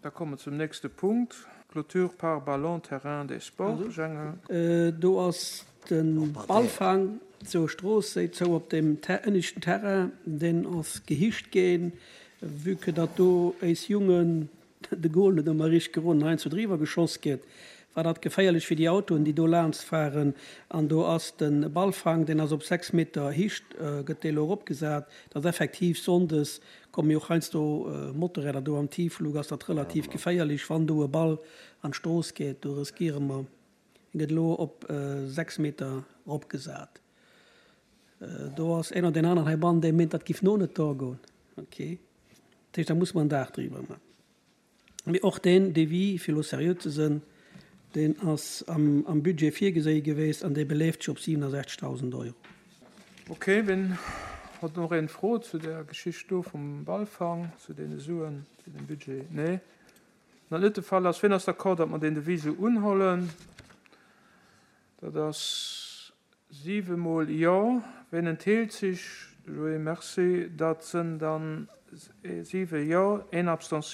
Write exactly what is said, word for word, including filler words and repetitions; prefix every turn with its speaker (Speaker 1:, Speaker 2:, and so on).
Speaker 1: Da komme mer zum nächste Punkt, Clôture pare-ballons terrain des sports.
Speaker 2: Do ass de Ballfang zur Strooss zou op dem ënneschten Terrain, deen ass gehicht ginn, vue que datt do éis Jungen de Goal net ëmmer richteg geroden, heiansdo driwwer geschoss gëtt, war dat geféierlech fir déi Autoen, déi do laanscht fahren. An do ass de Ballfang, deen ass op sechs Meter Hicht, gëtt dee elo eropgesat, datt effektiv sonndes komme jo och heiansdo Motorräder do am Tiefflug, ass dat relativ geféierlech, wann do e Ball an d'Strooss geet. Do riskiere mer, en gëtt elo op sechs Meter eropgesat. Do ass een oder deen aneren heibannen, dee meent, dat giff no net do goen. Okay. Dat heescht, da musse mer en Daach driwwer man. Mee och deen Devis, fir elo seriö ze sënn, deen ass am Budget virgeséi geweest an dee beleeft sech op siwenesechzegdausend Euro.
Speaker 1: Okay, wien hott noch een Fro zu der Geschicht do vum Ballfang, zu deene Suen, zu dem Budget? Nee? Wann dat net de Fall ass, wien ass d'accord, datt mer deen Devis esou unhollen? Dat ass siwe mol Jo. Wien entheelt sech? Joé, merci. Dat sënn dann siwe Jo, een Abstention.